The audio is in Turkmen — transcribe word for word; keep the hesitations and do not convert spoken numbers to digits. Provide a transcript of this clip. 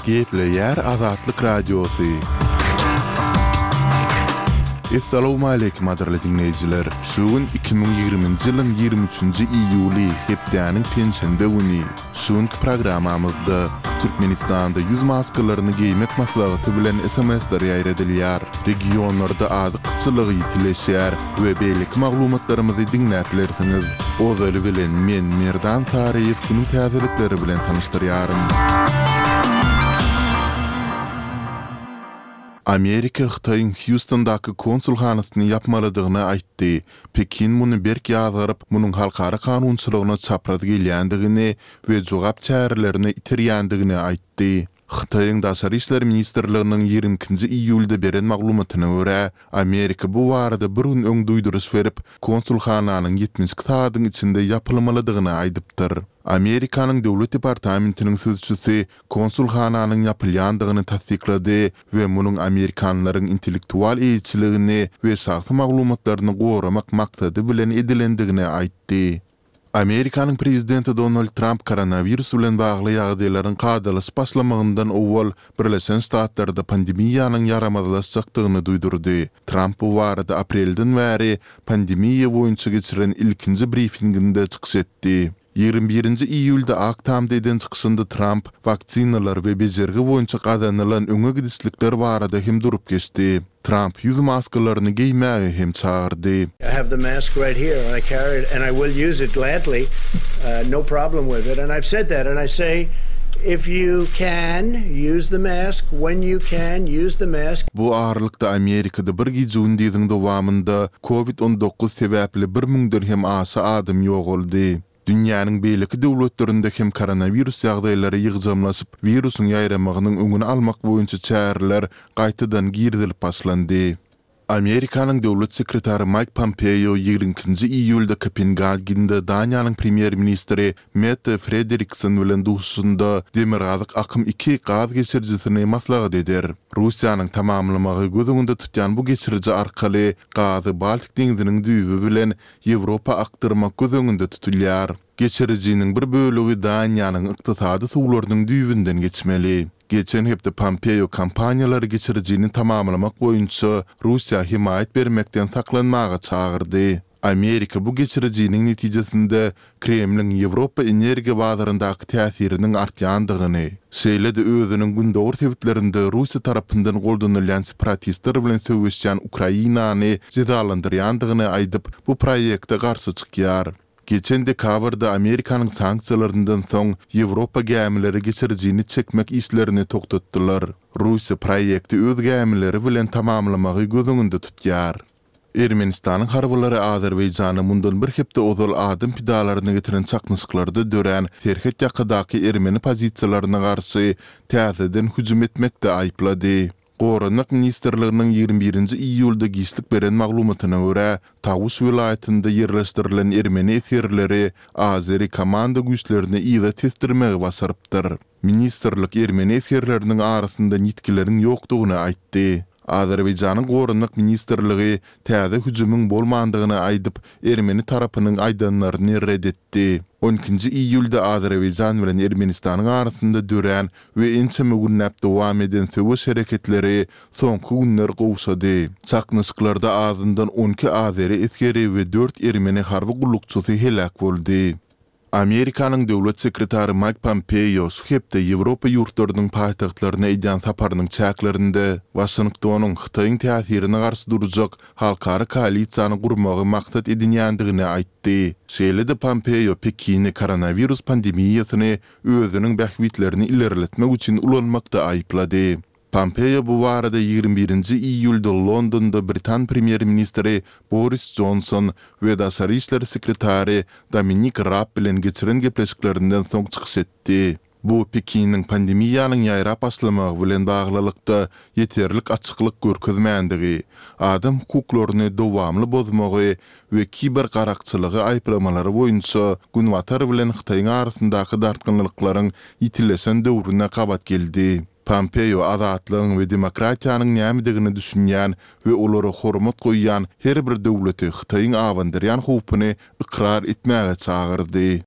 Gepleýär Azatlyk Radiosy. Essalawmaleýkim gadyrly diňleýjiler! Şu gün iki müň ýigriminji ýylyň ýigrimi üçünji iýuly, hepdäniň penşenbe güni. Şu günki programmamyzda Türkmenistanda ýüz maskalaryny geýmek maslahaty bilen S M S-ler ýaýradylýar, regionlarda azyk gytçylygy ýitileşýär we beýleki maglumatlarymyzy diňläp bilersiňiz. Ozaly bilen men Merdan Saryýew günüň täzelikleri bilen tanyşdyrýaryn. Amerika Hytaýyň Hýustondaky konsulhanasyny ýapmalydygyny aýtdy. Pekin muny berk ýazgaryp, munuň halkara kanunçylygyna çapraz gelýändigini we jogap çärelerini iterýändigini aýtdy. Hytaýyň Daşary işler ministrliginiň ýigrimi ikinji iýulda beren maglumatyna görä, Amerika bu barada bir gün öň duýduryş berip, konsulhananyň ýetmiş iki sagadyň içinde ýapylmalydygyny aýdypdyr. Amerikanyň Döwlet departamentiniň sözçüsi konsulhananyň ýapylýandygyny tassyklady we munuň amerikanlaryň intellektual eýeçiligini we şahsy maglumatlaryny goramak maksady bilen edilendigini aýtdy. Amerikanyň prezidenti Donald Tramp koronawirus bilen bagly ýagdaýlaryň kadalaşyp başlamagyndan owal Birleşen Ştatlarda pandemiýanyň ýaramazlaşjakdygyny duýdurdy. Tramp bu barada aprelden bäri pandemiýa boýunça geçiren ilkinji brifinginde çykyş etdi. Ýigrimi birinji iýulda Ak Tamda eden çykyşynda Tramp waksinalar we bejergi boýunça gazanylan öňe gidişlikler barada hem durup geçdi. Tramp ýüz maskalaryny geýmäge hem çagyrdy. I have the mask right here and I carry it and I will use it gladly, uh, no problem with it. And I've said that and I say if you can use the mask, when you can use the mask. Bu aralykda Amerikada bir gije-gündiziň dowamynda Covid on dokuz sebäpli bir müňden hem aşa adam ýogaldy. Dünýäniň beýleki döwletlerinde hem koronawirus ýagdaýlary ýygjamlaşyp, wirusyň ýaýramagynyň öňüni almak boýunça çäreler gaýtadan girizilip başlandy. Amerikanyň döwlet sekretary Maýk Pompeo ýigrimi ikinji iýulda Kopengagende Daniýanyň premýer-ministri Mette Frederiksen bilen duşuşynda Demirgazyk akym iki gaz geçirijisini maslahat eder. Russiýanyň tamamlamagy göz öňünde tutýan bu geçiriji arkaly gazy Baltik deňziniň düýbi bilen Ýewropa akdyrmak göz öňünde tutulýar. Geçirijiniň bir bölegi Daniýanyň ykdysady suwlarynyň düýbünden geçmeli. Geçen hepde Pompeo kompaniýalary geçirijini tamamlamak boýunça Russiýa hemaýat bermekden saklanmaga çagyrdy. Amerika bu geçirijiniň netijesinde Kremliň Ýewropa energiýa bazaryndaky täsiriniň artýandygyny, şeýle-de özüniň gündogar sebitlerinde Russiýa tarapyndan goldanylýan separatistler bilen söweşýän Ukrainany jezalandyrýandygyny aýdyp, bu proýekte garşy çykýar. Geçen dekabrda Amerikanyň sanksiýalaryndan soň Ýewropa gämileri geçirijini çekmek işlerini togtatdylar. Russiýa proýekti öz gämileri bilen tamamlamagy göz öňünde tutýar. Ermenistanyň harbylary Azerbaýjana mundan bir hepde ozal adam pidalaryny getiren çaknyşyklarda dörän serhet ýakadaky ermeni pozisiýalaryna garşy täzeden hüjüm etmekde aýyplady. Goranmak ministrliginiň ýigrimi birinji iýulda giçlik beren maglumatyna görä, Tawuş welaýatynda ýerleşdirilen ermeni esgerleri Azeri komanda güýçlerini yza tesdirmegi başarypdyr. Ministrlik ermeni esgerleriniň arasynda ýitgileriň ýokdugyny aýtdy. Azerbaýjanyň Goranmak ministrligi täze hüjümiň bolmandygyny aýdyp, ermeni tarapynyň aýdanlaryny red etdi. On ikinji iýulda Azerbaýjan bilen Ermenistanyň arasynda dörän we ençeme günläp dowam eden söweş hereketleri soňky günler gowşady. Çaknyşyklarda azyndan on iki azeri esgeri we dört ermeni harby gullukçysy heläk boldy. Amerikanyň döwlet sekretary Maýk Pompeo şu hepde Ýewropa ýurtlarynyň paýtagtlaryna edýän saparynyň çäklerinde Waşingtonyň Hytaýyň täsirine garşy durjak halkara koalisiýany gurmagy maksat edinýändigini aýtdy. Şeýle-de Pompeo Pekini koronawirus pandemiýasyny özüniň bähbitlerini ilerletmek üçin ulanmakda aýyplady. Pompeo bu barada ýigrimi birinji iýulda Londonda Britan premýer-ministri Boris Johnson we daşary işler sekretary Dominik Raab bilen geçiren gepleşiklerinden soň çykyş etdi. Bu Pekiniň pandemiýanyň ýaýrap başlamagy bilen baglylykda ýeterlik açyklyk görkezmändigi, adam hukuklaryny dowamly bozmagy we kiber garakçylygy aýyplamalary boýunça Günbatar bilen Hytaýyň arasyndaky dartgynlyklaryň ýitileşen döwrüne gabat geldi. Pompeo azatlygyň we demokratiýanyň nämedigini düşünýän we olara hormat goýýan her bir döwleti Hytaýyň abandyrýan howpuny ykrar etmäge çagyrdy.